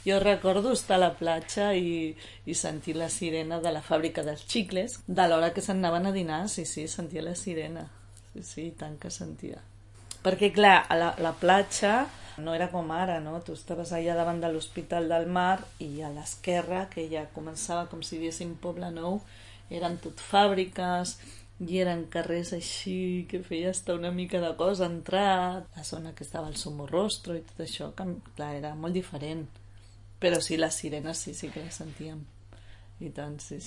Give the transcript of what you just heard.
Jo recordo estar a la platja i sentir la sirena de la fàbrica dels xicles, de l'hora que s'anaven a dinar, sí, sentia la sirena. Sí, tant que sentia. Perquè, clar, a la platja no era com ara, no? Tu estaves allà davant de l'Hospital del Mar i a l'esquerra, que ja començava com si diéssim Poble Nou, eren tot fàbriques i eren carrers així que feia estar una mica de cosa entrar, la zona que estava al Somorrostro i tot això, que clar, era molt diferent. Però sí, les sirenes sí que les sentíem. I tant, sí.